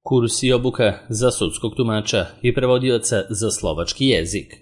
Kurs i obuka za sudskog tumača i prevodioca za slovački jezik.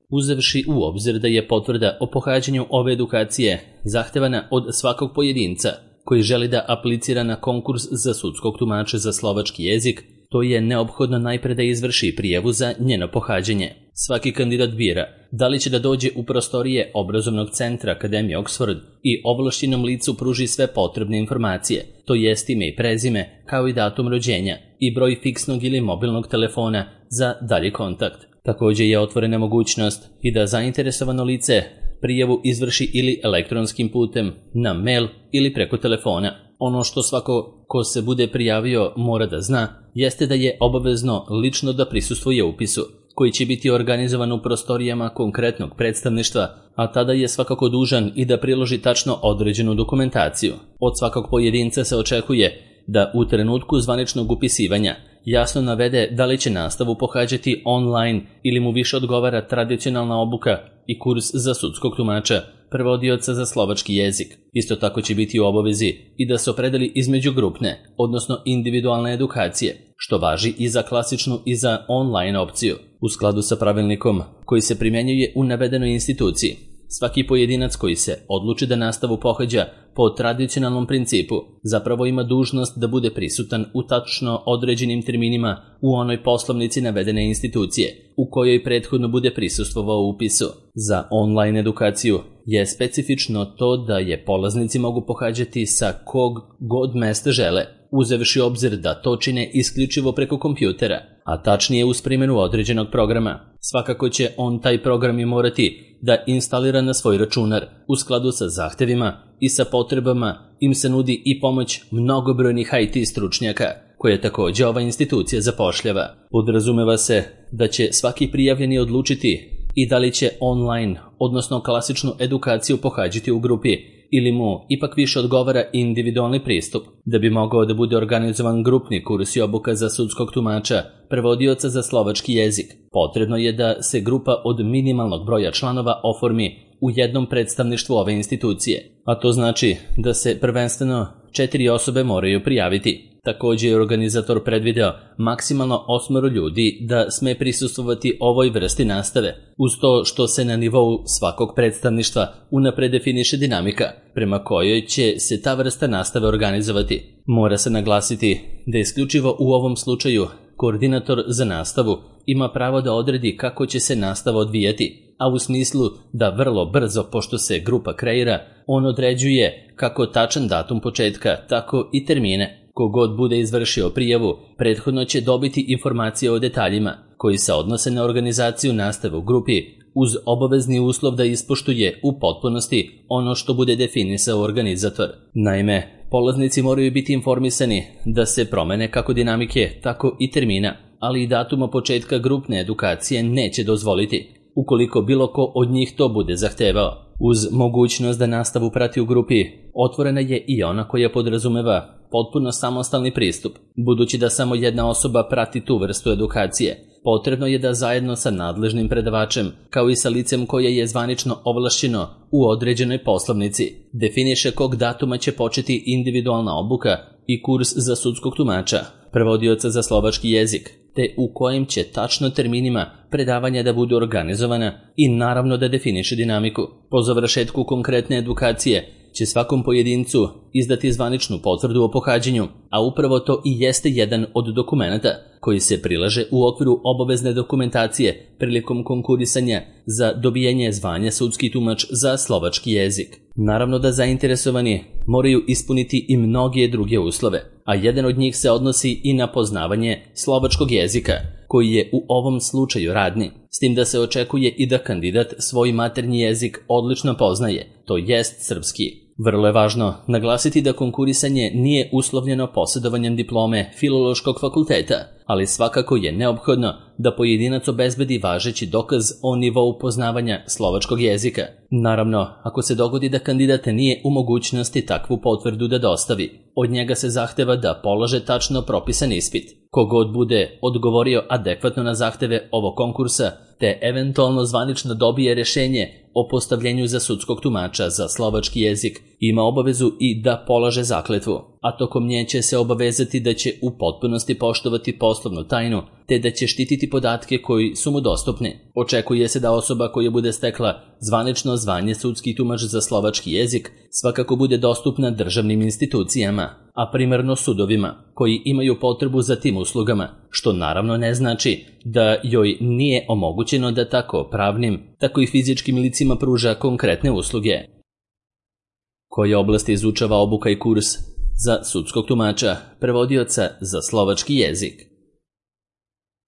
Uzevši u obzir da je potvrda o pohađanju ove edukacije zahtevana od svakog pojedinca koji želi da aplicira na konkurs za sudskog tumača za slovački jezik, to je neophodno najpre da izvrši prijavu za njeno pohađanje. Svaki kandidat bira da li će da dođe u prostorije obrazovnog centra Akademije Oxford i ovlašćenom licu pruži sve potrebne informacije, to jest ime i prezime, kao i datum rođenja i broj fiksnog ili mobilnog telefona za dalji kontakt. Također je otvorena mogućnost i da zainteresovano lice prijavu izvrši ili elektronskim putem, na mail ili preko telefona. Ono što svako ko se bude prijavio mora da zna, jeste da je obavezno lično da prisustvuje upisu, koji će biti organizovan u prostorijama konkretnog predstavništva, a tada je svakako dužan i da priloži tačno određenu dokumentaciju. Od svakog pojedinca se očekuje da u trenutku zvaničnog upisivanja jasno navede da li će nastavu pohađati online ili mu više odgovara tradicionalna obuka i kurs za sudskog tumača, prevodioca za slovački jezik. Isto tako će biti u obavezi i da se opredeli između grupne, odnosno individualne edukacije, što važi i za klasičnu i za online opciju. U skladu sa pravilnikom koji se primjenjuje u navedenoj instituciji, svaki pojedinac koji se odluči da nastavu pohađa po tradicionalnom principu zapravo ima dužnost da bude prisutan u tačno određenim terminima u onoj poslovnici navedene institucije u kojoj prethodno bude prisustvovao upisu. Za online edukaciju je specifično to da je polaznici mogu pohađati sa kog god mesta žele, uzevši obzir da to čine isključivo preko kompjutera, a tačnije uz primjenu određenog programa. Svakako će on taj program i morati da instalira na svoj računar. U skladu sa zahtevima i sa potrebama im se nudi i pomoć mnogobrojnih IT stručnjaka, koje također ova institucija zapošljava. Podrazumeva se da će svaki prijavljeni odlučiti i da li će online, odnosno klasičnu edukaciju pohađati u grupi, ili mu ipak više odgovara individualni pristup. Da bi mogao da bude organizovan grupni kurs i obuka za sudskog tumača, prevodioca za slovački jezik, potrebno je da se grupa od minimalnog broja članova oformi u jednom predstavništvu ove institucije, a to znači da se prvenstveno 4 osobe moraju prijaviti. Također je organizator predvideo maksimalno 8 ljudi da sme prisustvovati ovoj vrsti nastave, uz to što se na nivou svakog predstavništva unapred definiše dinamika prema kojoj će se ta vrsta nastave organizovati. Mora se naglasiti da isključivo u ovom slučaju koordinator za nastavu ima pravo da odredi kako će se nastava odvijati, a u smislu da vrlo brzo, pošto se grupa kreira, on određuje kako tačan datum početka, tako i termine. Kogod bude izvršio prijavu, prethodno će dobiti informacije o detaljima koji se odnose na organizaciju nastave u grupi, uz obavezni uslov da ispoštuje u potpunosti ono što bude definisao organizator. Naime, polaznici moraju biti informisani da se promene kako dinamike, tako i termina, ali i datuma početka grupne edukacije neće dozvoliti, ukoliko bilo ko od njih to bude zahtevao. Uz mogućnost da nastavu prati u grupi, otvorena je i ona koja podrazumeva potpuno samostalni pristup. Budući da samo jedna osoba prati tu vrstu edukacije, potrebno je da zajedno sa nadležnim predavačem, kao i sa licem koje je zvanično ovlašćeno u određenoj poslovnici, definiše kog datuma će početi individualna obuka i kurs za sudskog tumača, prevodioca za slovački jezik, te u kojim će tačno terminima predavanja da budu organizovana i naravno da definiše dinamiku. Po završetku konkretne edukacije će svakom pojedincu izdati zvaničnu potvrdu o pohađanju, a upravo to i jeste jedan od dokumenata koji se prilaže u okviru obavezne dokumentacije prilikom konkurisanja za dobijanje zvanja sudski tumač za slovački jezik. Naravno da zainteresovani moraju ispuniti i mnoge druge uslove, a jedan od njih se odnosi i na poznavanje slovačkog jezika, koji je u ovom slučaju radni, s tim da se očekuje i da kandidat svoj maternji jezik odlično poznaje, to jest srpski. Vrlo je važno naglasiti da konkurisanje nije uslovljeno posjedovanjem diplome Filološkog fakulteta, ali svakako je neophodno da pojedinac obezbedi važeći dokaz o nivou poznavanja slovačkog jezika. Naravno, ako se dogodi da kandidat nije u mogućnosti takvu potvrdu da dostavi, od njega se zahteva da polaže tačno propisan ispit. Kogod bude odgovorio adekvatno na zahteve ovog konkursa, te eventualno zvanično dobije rješenje o postavljenju za sudskog tumača za slovački jezik, ima obavezu i da polaže zakletvu, a tokom nje će se obavezati da će u potpunosti poštovati poslovnu tajnu, te da će štititi podatke koji su mu dostupni. Očekuje se da osoba koja bude stekla zvanično zvanje sudski tumač za slovački jezik svakako bude dostupna državnim institucijama, a primarno sudovima, koji imaju potrebu za tim uslugama, što naravno ne znači da joj nije omogućeno da tako pravnim, tako i fizičkim licima pruža konkretne usluge. Koje oblasti izučava obuka i kurs za sudskog tumača, prevodioca za slovački jezik?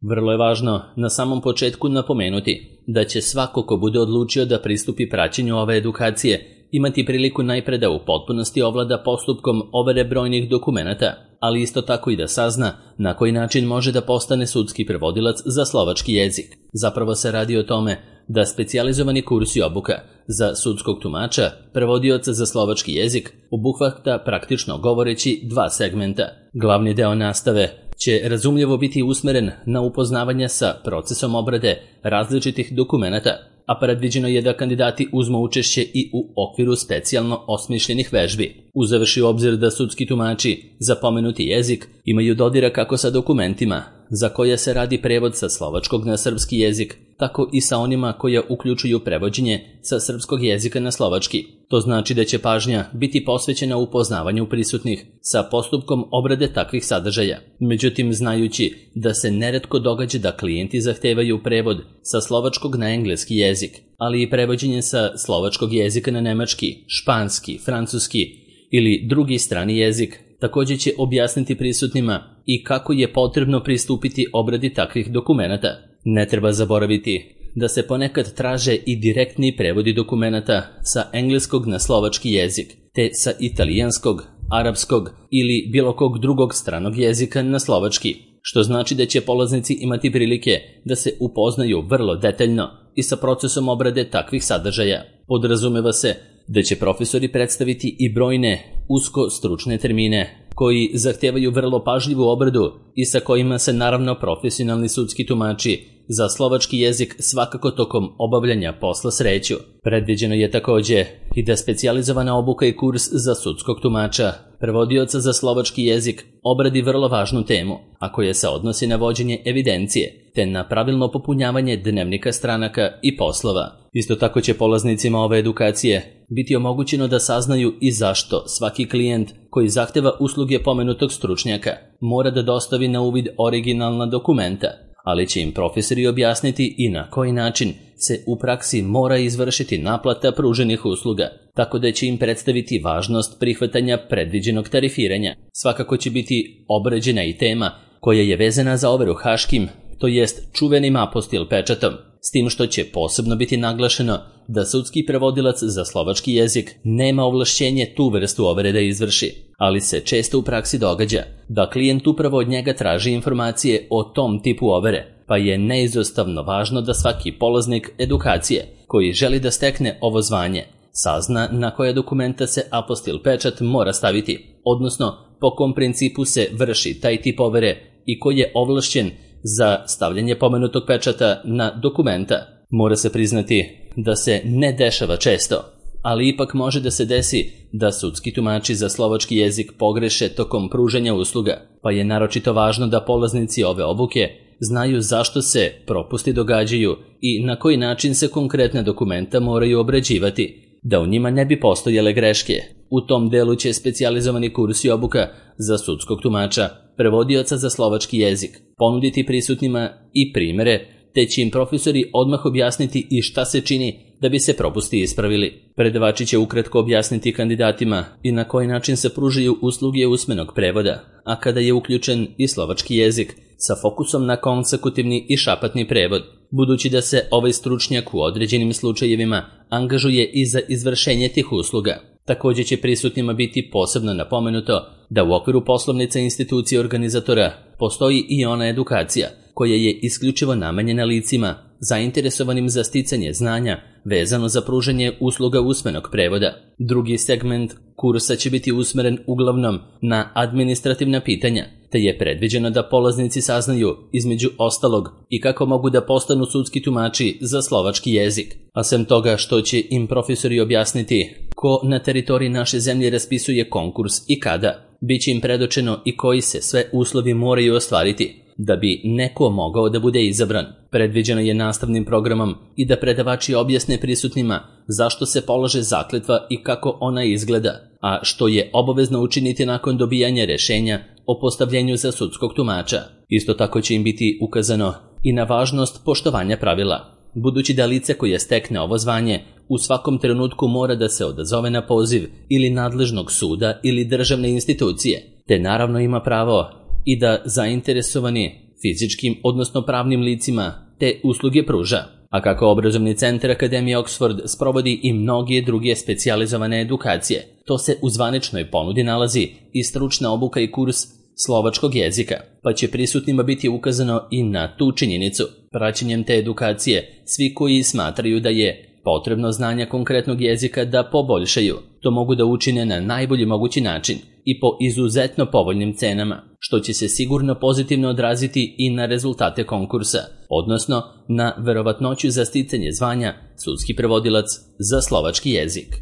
Vrlo je važno na samom početku napomenuti da će svako ko bude odlučio da pristupi praćenju ove edukacije imati priliku najpre da u potpunosti ovlada postupkom overe brojnih dokumenata, ali isto tako i da sazna na koji način može da postane sudski prevodilac za slovački jezik. Zapravo se radi o tome da specijalizovani kurs i obuka za sudskog tumača, prevodioca za slovački jezik, obuhvata praktično govoreći dva segmenta. Glavni deo nastave će razumljivo biti usmeren na upoznavanje sa procesom obrade različitih dokumenata, a predviđeno je da kandidati uzmu učešće i u okviru specijalno osmišljenih vežbi. Uzevši u obzir da sudski tumači za pomenuti jezik imaju dodira kako sa dokumentima za koje se radi prevod sa slovačkog na srpski jezik, tako i sa onima koja uključuju prevođenje sa srpskog jezika na slovački. To znači da će pažnja biti posvećena upoznavanju prisutnih sa postupkom obrade takvih sadržaja. Međutim, znajući da se neretko događa da klijenti zahtevaju prevod sa slovačkog na engleski jezik, ali i prevođenje sa slovačkog jezika na nemački, španski, francuski ili drugi strani jezik, također će objasniti prisutnima i kako je potrebno pristupiti obradi takvih dokumenata. Ne treba zaboraviti da se ponekad traže i direktni prevodi dokumenata sa engleskog na slovački jezik, te sa italijanskog, arapskog ili bilo kog drugog stranog jezika na slovački, što znači da će polaznici imati prilike da se upoznaju vrlo detaljno i sa procesom obrade takvih sadržaja. Podrazumeva se da će profesori predstaviti i brojne usko stručne termine koji zahtevaju vrlo pažljivu obradu i sa kojima se naravno profesionalni sudski tumači za slovački jezik svakako tokom obavljanja posla sreću. Predviđeno je također i da specijalizovana obuka i kurs za sudskog tumača, prevodioca za slovački jezik, obradi vrlo važnu temu, a koja se odnosi na vođenje evidencije, te na pravilno popunjavanje dnevnika stranaka i poslova. Isto tako će polaznicima ove edukacije biti omogućeno da saznaju i zašto svaki klijent koji zahteva usluge pomenutog stručnjaka mora da dostavi na uvid originalna dokumenta, ali će im profesori objasniti i na koji način se u praksi mora izvršiti naplata pruženih usluga, tako da će im predstaviti važnost prihvatanja predviđenog tarifiranja. Svakako će biti obrađena i tema koja je vezana za overu haškim, to jest čuvenim apostil pečatom, s tim što će posebno biti naglašeno da sudski prevodilac za slovački jezik nema ovlašćenje tu vrstu overe da izvrši, ali se često u praksi događa da klijent upravo od njega traži informacije o tom tipu overe, pa je neizostavno važno da svaki polaznik edukacije koji želi da stekne ovo zvanje sazna na koje dokumenta se apostil pečat mora staviti, odnosno po kom principu se vrši taj tip overe i koji je ovlašćen za stavljanje pomenutog pečata na dokumenta. Mora se priznati da se ne dešava često, ali ipak može da se desi da sudski tumači za slovački jezik pogreše tokom pružanja usluga, pa je naročito važno da polaznici ove obuke znaju zašto se propusti događaju i na koji način se konkretne dokumenta moraju obrađivati, da u njima ne bi postojale greške. U tom delu će specijalizovani kurs i obuka za sudskog tumača, prevodioca za slovački jezik, ponuditi prisutnima i primere, te će im profesori odmah objasniti i šta se čini da bi se propusti ispravili. Predavači će ukratko objasniti kandidatima i na koji način se pružaju usluge usmenog prevoda, a kada je uključen i slovački jezik sa fokusom na konsekutivni i šapatni prevod, budući da se ovaj stručnjak u određenim slučajevima angažuje i za izvršenje tih usluga. Također će prisutnima biti posebno napomenuto da u okviru poslovnice institucije organizatora postoji i ona edukacija koja je isključivo namenjena licima zainteresovanim za sticanje znanja vezano za pružanje usluga usmenog prevoda. Drugi segment kursa će biti usmeren uglavnom na administrativna pitanja, te je predviđeno da polaznici saznaju, između ostalog, i kako mogu da postanu sudski tumači za slovački jezik, a sem toga što će im profesori objasniti ko na teritoriji naše zemlje raspisuje konkurs i kada, bit će im predočeno i koji se sve uslovi moraju ostvariti da bi neko mogao da bude izabran. Predviđeno je nastavnim programom i da predavači objasne prisutnima zašto se polaže zakletva i kako ona izgleda, a što je obavezno učiniti nakon dobijanja rešenja o postavljenju za sudskog tumača. Isto tako će im biti ukazano i na važnost poštovanja pravila, budući da lice koje stekne ovo zvanje u svakom trenutku mora da se odazove na poziv ili nadležnog suda ili državne institucije, te naravno ima pravo i da zainteresovani fizičkim odnosno pravnim licima te usluge pruža. A kako obrazovni centar Akademije Oxford sprovodi i mnoge druge specijalizovane edukacije, to se u zvaničnoj ponudi nalazi i stručna obuka i kurs slovačkog jezika, pa će prisutnima biti ukazano i na tu činjenicu. Praćenjem te edukacije, svi koji smatraju da je potrebno znanja konkretnog jezika da poboljšaju, to mogu da učine na najbolji mogući način i po izuzetno povoljnim cenama, što će se sigurno pozitivno odraziti i na rezultate konkursa, odnosno na verovatnoću za sticanje zvanja sudski prevodilac za slovački jezik.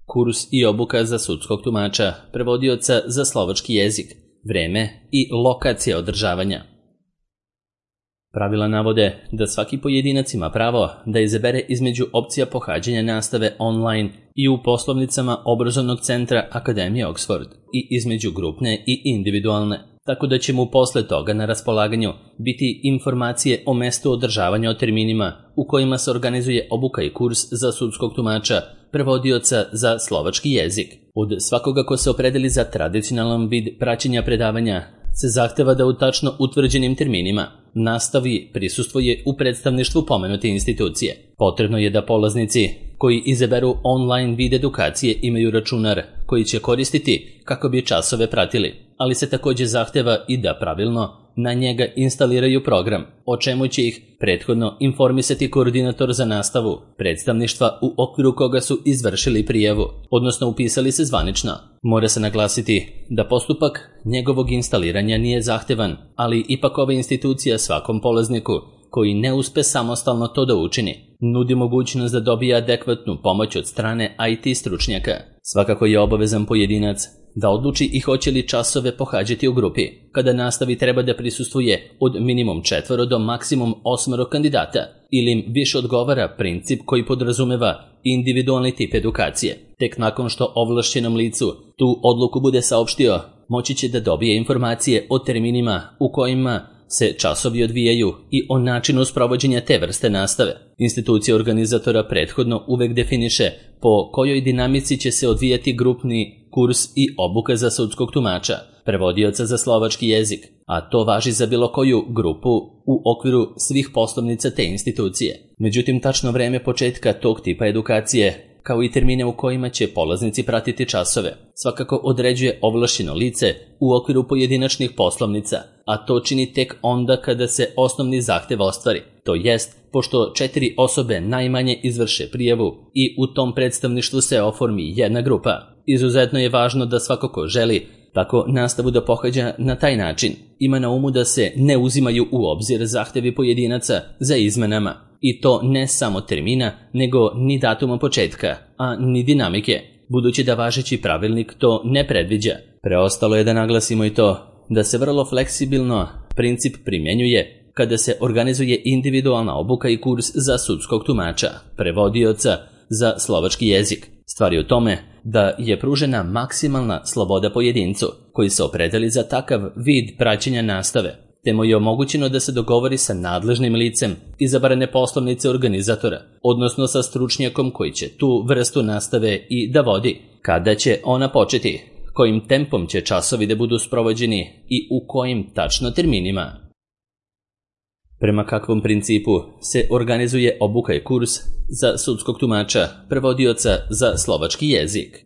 Kurs i obuka za sudskog tumača, prevodioca za slovački jezik, vreme i lokacija održavanja. Pravila navode da svaki pojedinac ima pravo da izabere između opcija pohađanja nastave online i u poslovnicama obrazovnog centra Akademije Oxford i između grupne i individualne, tako da će mu posle toga na raspolaganju biti informacije o mestu održavanja o terminima u kojima se organizuje obuka i kurs za sudskog tumača, prevodioca za slovački jezik. Od svakoga ko se opredeli za tradicionalan vid praćenja predavanja se zahteva da u tačno utvrđenim terminima nastavi prisustvuje u predstavništvu pomenute institucije. Potrebno je da polaznici koji izaberu online vid edukacije imaju računar koji će koristiti kako bi časove pratili, ali se također zahteva i da pravilno na njega instaliraju program, o čemu će ih prethodno informisati koordinator za nastavu predstavništva u okviru koga su izvršili prijavu, odnosno upisali se zvanično. Mora se naglasiti da postupak njegovog instaliranja nije zahtevan, ali ipak ova institucija svakom polazniku koji ne uspe samostalno to da učini, nudi mogućnost da dobije adekvatnu pomoć od strane IT stručnjaka. Svakako je obavezan pojedinac da odluči i hoće li časove pohađati u grupi, kada nastavi treba da prisustvuje od minimum 4 do maksimum 8 kandidata, ili im više odgovara princip koji podrazumeva individualni tip edukacije. Tek nakon što ovlašćenom licu tu odluku bude saopštio, moći će da dobije informacije o terminima u kojima se časovi odvijaju i o načinu sprovođenja te vrste nastave. Institucija organizatora prethodno uvek definiše po kojoj dinamici će se odvijati grupni kurs i obuka za sudskog tumača, prevodioca za slovački jezik, a to važi za bilo koju grupu u okviru svih poslovnica te institucije. Međutim, tačno vreme početka tog tipa edukacije, kao i termine u kojima će polaznici pratiti časove, svakako određuje ovlašćeno lice u okviru pojedinačnih poslovnica, a to čini tek onda kada se osnovni zahtev ostvari, to jest pošto 4 osobe najmanje izvrše prijavu i u tom predstavništvu se oformi jedna grupa. Izuzetno je važno da svako ko želi tako nastavu da pohađa na taj način ima na umu da se ne uzimaju u obzir zahtevi pojedinaca za izmenama, i to ne samo termina, nego ni datuma početka, a ni dinamike, budući da važeći pravilnik to ne predviđa. Preostalo je da naglasimo i to da se vrlo fleksibilno princip primjenjuje kada se organizuje individualna obuka i kurs za sudskog tumača, prevodioca za slovački jezik. Stvar je u tome da je pružena maksimalna sloboda pojedincu koji se opredeli za takav vid praćenja nastave, te mu je omogućeno da se dogovori sa nadležnim licem izabrane poslovnice organizatora, odnosno sa stručnjakom koji će tu vrstu nastave i da vodi, kada će ona početi, kojim tempom će časovi da budu sprovođeni i u kojim tačno terminima. Prema kakvom principu se organizuje obuka i kurs za sudskog tumača, prevodioca za slovački jezik?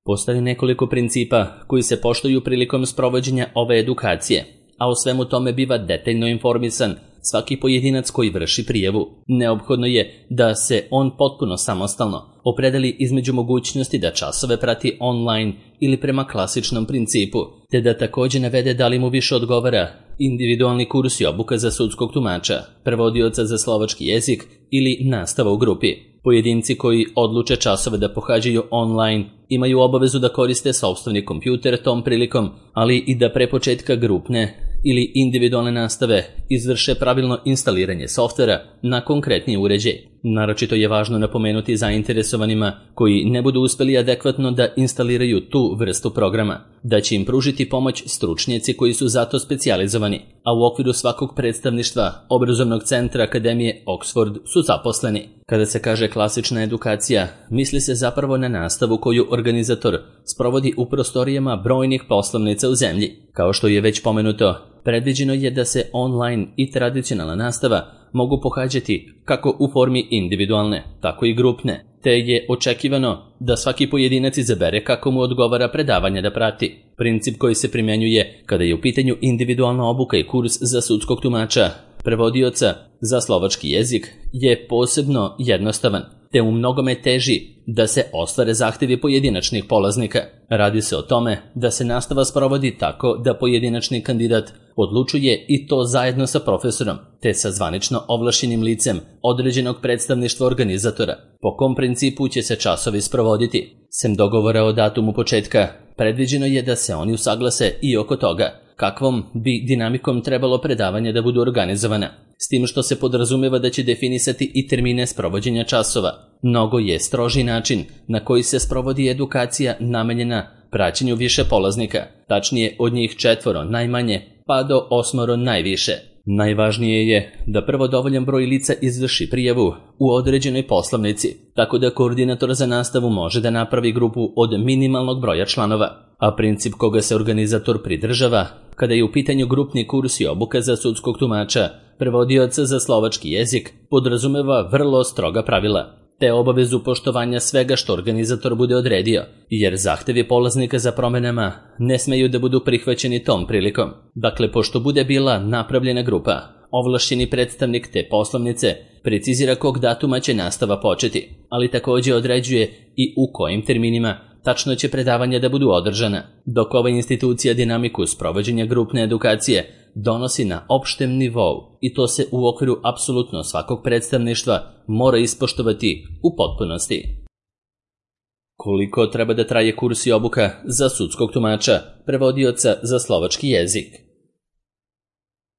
Postoji nekoliko principa koji se poštuju prilikom sprovođenja ove edukacije, a o svemu tome biva detaljno informisan svaki pojedinac koji vrši prijavu. Neophodno je da se on potpuno samostalno opredeli između mogućnosti da časove prati online ili prema klasičnom principu, te da također navede da li mu više odgovara individualni kurs i obuka za sudskog tumača, prevodioca za slovački jezik ili nastava u grupi. Pojedinci koji odluče časove da pohađaju online imaju obavezu da koriste sopstveni kompjuter tom prilikom, ali i da pre početka grupne ili individualne nastave izvrše pravilno instaliranje softvera na konkretni uređaj. Naročito je važno napomenuti zainteresovanima koji ne budu uspeli adekvatno da instaliraju tu vrstu programa, da će im pružiti pomoć stručnjaci koji su zato specijalizovani, a u okviru svakog predstavništva obrazovnog centra Akademije Oxford su zaposleni. Kada se kaže klasična edukacija, misli se zapravo na nastavu koju organizator sprovodi u prostorijama brojnih poslovnica u zemlji. Kao što je već pomenuto, predviđeno je da se online i tradicionalna nastava mogu pohađati kako u formi individualne, tako i grupne, te je očekivano da svaki pojedinac izabere kako mu odgovara predavanje da prati. Princip koji se primjenjuje kada je u pitanju individualna obuka i kurs za sudskog tumača, prevodioca za slovački jezik je posebno jednostavan, te u mnogome teži da se ostvare zahtjevi pojedinačnih polaznika. Radi se o tome da se nastava sprovodi tako da pojedinačni kandidat odlučuje i to zajedno sa profesorom, te sa zvanično ovlašćenim licem određenog predstavništva organizatora. Po kom principu će se časovi sprovoditi? Sem dogovora o datumu početka, predviđeno je da se oni usaglase i oko toga kakvom bi dinamikom trebalo predavanje da budu organizovana, s tim što se podrazumeva da će definisati i termine sprovođenja časova. Mnogo je stroži način na koji se sprovodi edukacija namenjena praćenju više polaznika, tačnije od njih 4 najmanje pa do 8 najviše. Najvažnije je da prvo dovoljan broj lica izvrši prijavu u određenoj poslovnici, tako da koordinator za nastavu može da napravi grupu od minimalnog broja članova, a princip koga se organizator pridržava kada je u pitanju grupni kurs i obuka za sudskog tumača, prevodioca za slovački jezik, podrazumeva vrlo stroga pravila, te obavezu poštovanja svega što organizator bude odredio, jer zahtevi polaznika za promenama ne smeju da budu prihvaćeni tom prilikom. Dakle, pošto bude bila napravljena grupa, ovlašćeni predstavnik te poslovnice precizira kog datuma će nastava početi, ali također određuje i u kojim terminima tačno će predavanja da budu održana, dok ova institucija dinamiku sprovođenja grupne edukacije donosi na opštem nivou i to se u okviru apsolutno svakog predstavništva mora ispoštovati u potpunosti. Koliko treba da traje kurs i obuka za sudskog tumača, prevodioca za slovački jezik?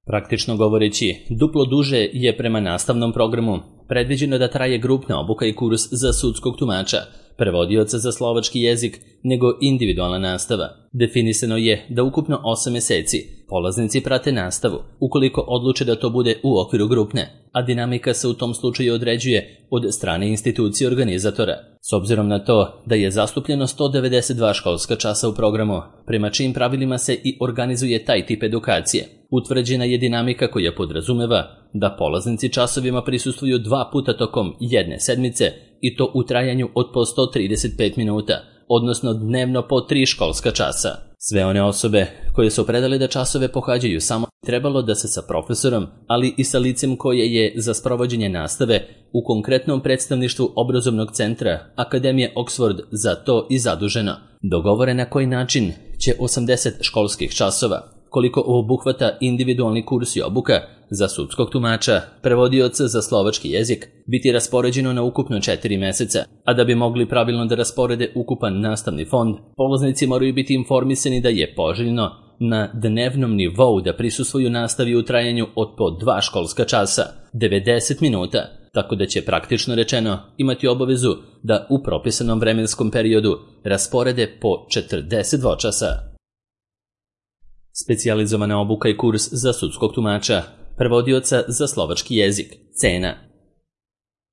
Praktično govoreći, duplo duže je prema nastavnom programu predviđeno da traje grupna obuka i kurs za sudskog tumača, prevodioca za slovački jezik, nego individualna nastava. Definisano je da ukupno 8 mjeseci polaznici prate nastavu, ukoliko odluče da to bude u okviru grupne, a dinamika se u tom slučaju određuje od strane institucije organizatora. S obzirom na to da je zastupljeno 192 školska časa u programu, prema čijim pravilima se i organizuje taj tip edukacije, utvrđena je dinamika koja podrazumeva da polaznici časovima prisustvuju 2 puta tokom jedne sedmice i to u trajanju od po 135 minuta, odnosno dnevno po 3 školska časa. Sve one osobe koje su predale da časove pohađaju samo trebalo da se sa profesorom, ali i sa licem koje je za sprovođenje nastave u konkretnom predstavništvu obrazovnog centra Akademije Oxford za to i zaduženo. Dogovore na koji način će 80 školskih časova, koliko obuhvata individualni kurs i obuka za sudskog tumača, prevodioca za slovački jezik, biti raspoređeno na ukupno 4 mjeseca, a da bi mogli pravilno da rasporede ukupan nastavni fond, polaznici moraju biti informisani da je poželjno na dnevnom nivou da prisustvuju nastavi u trajanju od po 2 školska časa, 90 minuta, tako da će praktično rečeno imati obavezu da u propisanom vremenskom periodu rasporede po 42 časa. Specijalizovana obuka i kurs za sudskog tumača, prevodioca za slovački jezik, cena.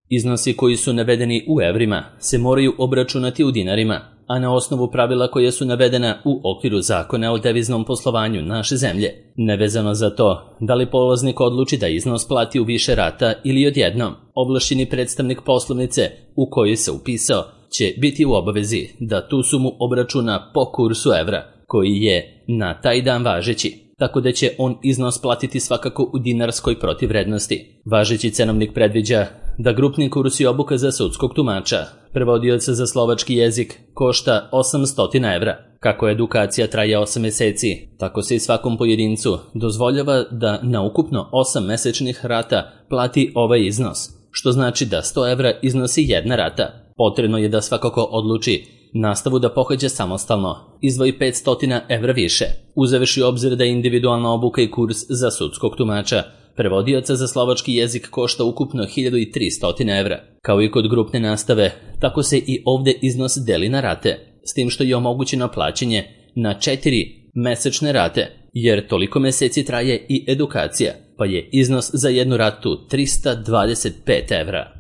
Iznosi koji su navedeni u evrima se moraju obračunati u dinarima, a na osnovu pravila koja su navedena u okviru zakona o deviznom poslovanju naše zemlje. Nevezano za to da li polaznik odluči da iznos plati u više rata ili odjednom, ovlašćeni predstavnik poslovnice u kojoj se upisao će biti u obavezi da tu sumu obračuna po kursu evra, koji je na taj dan važeći, tako da će on iznos platiti svakako u dinarskoj protivvrednosti. Važeći cenovnik predviđa da grupni kurs i obuka za sudskog tumača, prevodioca za slovački jezik, košta 800 evra. Kako edukacija traje 8 meseci, tako se i svakom pojedincu dozvoljava da na ukupno 8 mesečnih rata plati ovaj iznos, što znači da 100 evra iznosi jedna rata. Potrebno je da svakako odluči nastavu da pohađa samostalno, izdvoji 500 evra više, uzevši obzir da individualna obuka i kurs za sudskog tumača, prevodioca za slovački jezik košta ukupno 1300 evra. Kao i kod grupne nastave, tako se i ovde iznos deli na rate, s tim što je omogućeno plaćanje na 4 mesečne rate, jer toliko meseci traje i edukacija, pa je iznos za jednu ratu 325 evra.